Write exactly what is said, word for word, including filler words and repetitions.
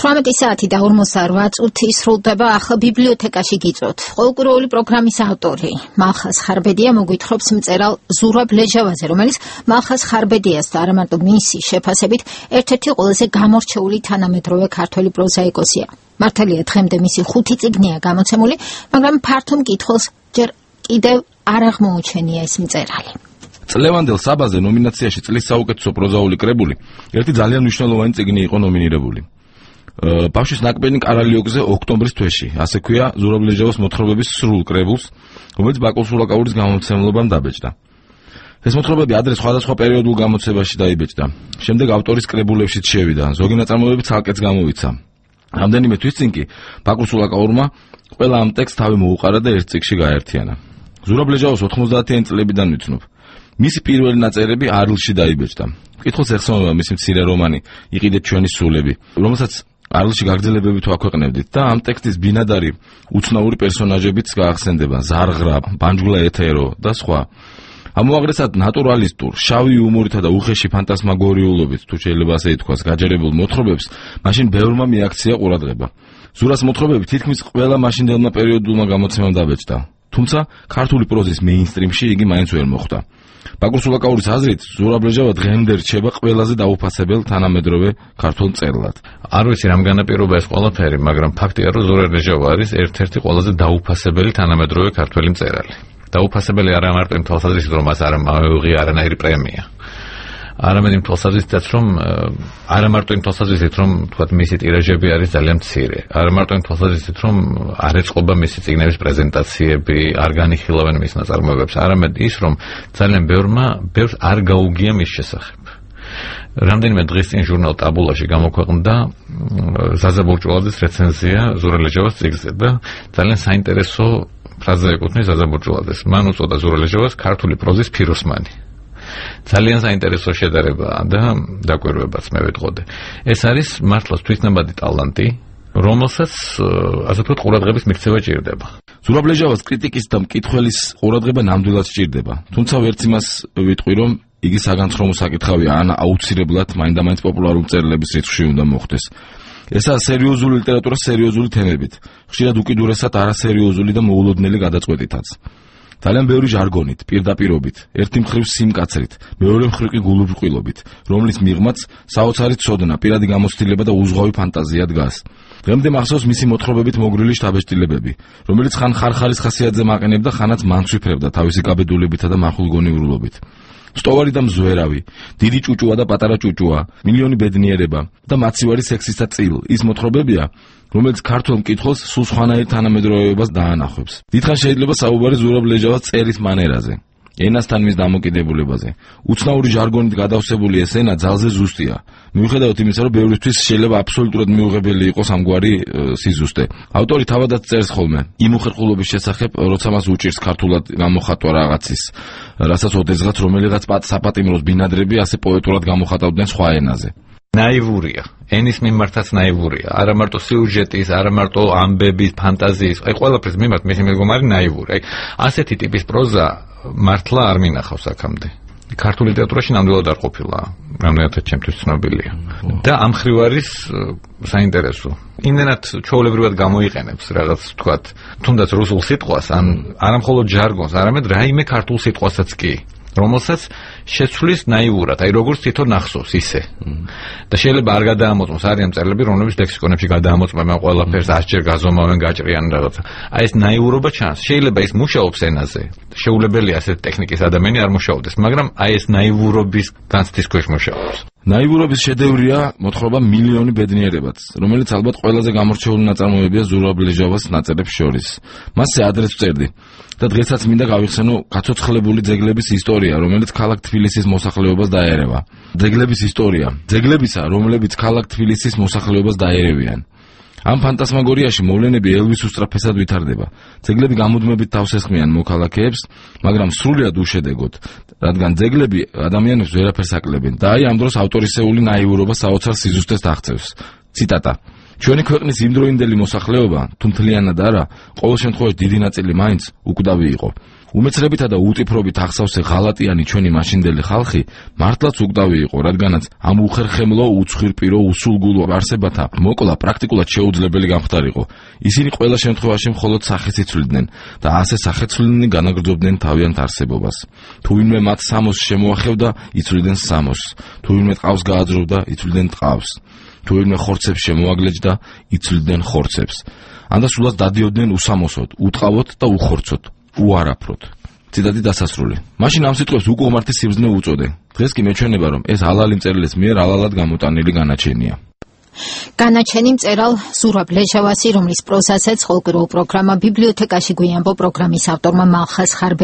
ოცდაოთხი საათი და ორმოცდაოთხ წუთი სრულდება ახლა ბიბლიოთეკაში გიწვევთ. ყოველკვირეული პროგრამის ავტორი მალხაზ ხარბედია მოგვითხრობს მწერალ ზურაბ ლეჟავაძე, რომელიც მალხაზ ხარბედიას და არა მარტო მისი შეფასებით ერთ-ერთი ყველაზე გამორჩეული თანამედროვე ქართველი პროზაიკოსია. მართალია დღემდე მისი ხუთი წიგნია გამოცემული, მაგრამ ფართო მკითხველს ჯერ კიდევ არ აღმოუჩენია ეს მწერალი. წლევანდელ საბაზე ნომინაციაში წლის საუკეთესო პროზაული კრებული ერთი ძალიან მნიშვნელოვანი წიგნი იყო ნომინირებული. ბავშვის ნაკბენი კარალიოკზე ოქტომბრის თვეში, ასე ქვია ზურაბ ლეჟავას მოთხრობების სრულ კრებულს, რომელიც ბაკურ სულაკაურის გამომცემლობამ დაბეჭდა. ეს მოთხრობები ადრე სხვადასხვა პერიოდულ გამოცებაში დაიბეჭდა. შემდეგ ავტორის კრებულებშიც შევიდა, ზოგი ნაწარმოებები ცალკეც გამოვიცა. რამდენიმე თვის წინ კი ბაკურ სულაკაურმა ყველა ამ ტექსტს თავი მოუყარა და ერთ წიგნში გაერთიანა. ზურაბ ლეჟავას ოთხმოცდაათიანი წლებიდან ვიცნობ. მისი პირველი ნაწერები არლში დაიბეჭდა. მკითხველს ეხსოვნება მისი მცირე რომანი იყიდეთ ჩვენი სულები, რომელსაც არლში გაგრძელებებით ვაქვეყნებდით და ამ ტექსტის ბინადარი უცნაური პერსონაჟებიც გაახსენდება, ზარღრა, ბანჯგლა ეთერო და სხვა. ამოაღრესად ნატურალისტურ, შავი იუმორითა და უხეში ფანტასმაგორიულობით, თუ შეიძლება ასე ითქვას, გაჯერებულ მოთხრობებს, მაშინ ბევრმა მიაქცია ყურადღება. ზურას მოთხრობები თითქმის ყველა მაშინდელმა პერიოდულმა გამოცემამ დაბეჭდა. თუმცა ქართული პროზის მეინსტრიმში იგი მაინც ვერ მოხვდა. ბაკურ სულაკაურის აზრით, ზურაბ ლეჟავა დღემდე რჩება ყველაზე დაუფასებელ თანამედროვე ქართულ მწერლად. არ ვიცი რამ განაპირობა ეს ყველაფერი, მაგრამ ფაქტია, რომ ზურაბ ლეჟავა არის ერთ-ერთი ყველაზე დაუფასებელი თანამედროვე ქართველი მწერალი. დაუფასებელი არა მარტო იმ თვალსაზრისით, რომ მას არ მოუღია არანაირი პრემია. არამედ იმ თვალსაზრისითაც, რომ არა მარტო იმ თვალსაზრისით, რომ თქვათ მისი ტირაჟები არის ძალიან მცირე, არა მარტო იმ თვალსაზრისით, რომ არ ეწყობა მისი წიგნების პრეზენტაციები, არ განიხილავენ მის ნაწარმოებებს, არამედ ის, რომ ძალიან ბევრმა ბევრს არ გაუგია მის შესახებ. რამდენიმე დღის წინ ჟურნალ ტაბულაში გამოქვეყნდა ზაზა ბურჭულაძის რეცენზია ზურაბ ლეჟავას წიგნზე და ძალიან საინტერესო ფრაზა ეკუთვნის ზაზა ბურჭულაძეს. მან უწოდა ზურაბ ლეჟავას ქართული პროზის ფიროსმანი. ძალიან საინტერესო შედარებაა და დაკვირვებაც მე ვეთყოდე. ეს არის მართლაც თვითნაბადი ტალანტი, რომელსაც ასე ვთქვათ ყურადღების მიქცევა ჭირდება. ზურაბ ლეჟავას კრიტიკის და მკითხველის ყურადღება ნამდვილად სჭირდება. თუმცა ვერც იმას ვიტყვი, რომ იგი საგანცხრომო საკითხავია ან აუცილებლად მაინდა-მაინც პოპულარული მწერლების რიცხვში უნდა მოხდეს. ესაა სერიოზული ლიტერატურა სერიოზული თემებით, ხშირად უკიდურესად არასერიოზული და მოულოდნელი გადაწყვეტითაც. ძალიან ბევრი ჟარგონით, პირდაპირობით, ერთი მხრივ სიმკაცრით, მეორე მხრივ კი გულუბრყვილობით, რომლის მიღმაც საოცარი ცოდნა, პირადი გამოცდილება და უზღვავი ფანტაზია დგას. დღემდე მახსოვს მისი მოთხრობებით მოგრილი შთაბეჭდილებები, რომელიც ხან ხარხალის ხასიათზე მაყენებდა, ხანაც მანცვიფრებდა თავისი გაბედულებითა და მახვილგონიურულობით. სტოვარი და მზვერავი, დიდი ჭუჭუა და პატარა ჭუჭუა, მილიონი ბედნიერება და მაცივარი სექსისა წილ, ის მოთხრობებია, რომელიც ქართულ მკითხველს სულ სხვანაირ თანამედროვეობას დაანახებს. დიდხანს შეიძლება საუბარი ზურაბ ლეჟავას წერის მანერაზე, ენასთან მის დამოკიდებულებაზე. უცნაური ჟარგონით გადავსებული ეს ენა ძალზე ზუსტია. მიუხედავად იმისა, რომ ბევრისთვის შეიძლება აბსოლუტურად მიუღებელი იყოს ამგვარი სიზუსტე. ავტორი თავადაც წერს ხოლმე იმ უხერხულობის შესახებ, როცა მას უჭირს ქართულად გამოხატვა რაღაცის, რასაც ოდესღაც რომელიღაც საპატიმროს ბინადრები ასე პოეტურად გამოხატავდნენ სხვა ენაზე. ნაივურია, ენის მიმართაც ნაივურია, არა მარტო სიუჟეტის, არა მარტო ამბების, ფანტაზიის, აი ყველაფრის მიმართ მისი მეგომარი ნაივური. აი ასეთი ტიპის პროზა მართლა არ მინახავს აქამდე. ქართულ ლიტერატურაში ნამდვილად არ ყოფილა, რამდენადაც ჩემთვის ცნობილია. და ამ მხრივ არის საინტერესო. იმდენად ჩვეულებრივად გამოიყენებს რაღაც თქვათ, თუნდაც რუსულ სიტყვას, ან არა მხოლოდ ჟარგონს, არამედ რაიმე ქართულ სიტყვასაც კი, რომელსაც შეცვლის ნაივურად, აი როგორც თვითონ ახსოვს ისე. და შეიძლება არ გადაამოწმოს, არიან მწერლები, რომლებიც ლექსიკონებში გადაამოწმებენ ყველაფერს, ასჯერ გაზომავენ, გაჭრიან რაღაცა. აი ეს ნაიურობა ჩანს. შეიძლება ის მუშაობს ენაზე. შეუძლებელია ასეთ ტექნიკის ადამიანი არ მუშაობდეს, მაგრამ აი ეს ნაივურობის განცდის ქვეშ მუშაობს. ნაივურობის შედევრია მოთხრობა მილიონი ბედნიერებაც, რომელიც ალბათ ყველაზე გამორჩეული ნაწარმოებია ზურაბ ლეჟავას ნაწერებს შორის. მასზე ადრეც ვწერდი და დღესაც მინდა გავიხსენო გაცოცხლებული ძეგლების ისტორია, რომელიც ქალაქ თბილისის მოსახლეობას დაერევა. ძეგლების ისტორია, ძეგლებისა, რომლებიც ქალაქ თბილისის მოსახლეობას დაერევიან. ამ ფანტასმაგორიაში მოვლენები ელვის უსწრაფესად ვითარდება. ძეგლები გამუდმებით თავს ესხმიან მოქალაქეებს, მაგრამ სრულიად უშედეგოდ, რადგან ძეგლები ადამიანებს ვერაფერს აკლებენ. და აი ამ დროს ავტორისეული ნაიურობა საოცარ სიზუსტეს აღწევს. ციტატა: ჩვენი ქვეყნის იმდროინდელი მოსახლეობა, თუ მთლიანად არა, ყოველ შემთხვევაში დიდი ნაწილი მაინც უკვდავი იყო. უმეცრებითა და უტიფრობით ახსავსე ღალატიანი ჩვენი მაშინდელი ხალხი მართლაც უკვდავი იყო, რადგანაც ამ უხერხემლო, უცხვირპირო, უსულგულო არსებათა მოკლა პრაქტიკულად შეუძლებელი გამხდარიყო. ისინი ყველა შემთხვევაში მხოლოდ სახეს იცვლიდნენ და ასე სახეცვლილნი განაგრძობდნენ თავიანთ არსებობას. თუ ვინმე მათ სამოს შემოახევდა, იცვლიდნენ სამოსს. თუ ვინმე ტყავს გააძროვდა, იცვლიდნენ ტყავს. თუ ვინმე ხორცებს შემოაგლეჯდა, იცვლიდნენ ხორცებს. ანდა სულაც დადიოდნენ უსამოსოდ, უტყავოთ და უხორცოთ, უარაფროთ. ციტატი დასასრული. მაშინ ამ სიტყვებს უკუღმართი სიბრძნე უწოდე. დღეს კი მეჩვენება, რომ ეს ჰალალი მწერლის მიერ ჰალალად გამოტანილი განაჩენია. განაჩენი მწერალ ზურაბ ლეჟავასი, რომლის პროზასაც ყოველკვირეულ პროგრამა ბიბლიოთეკაში გვიამბო პროგრამის ავტორმა მალხაზ ხარბედიამ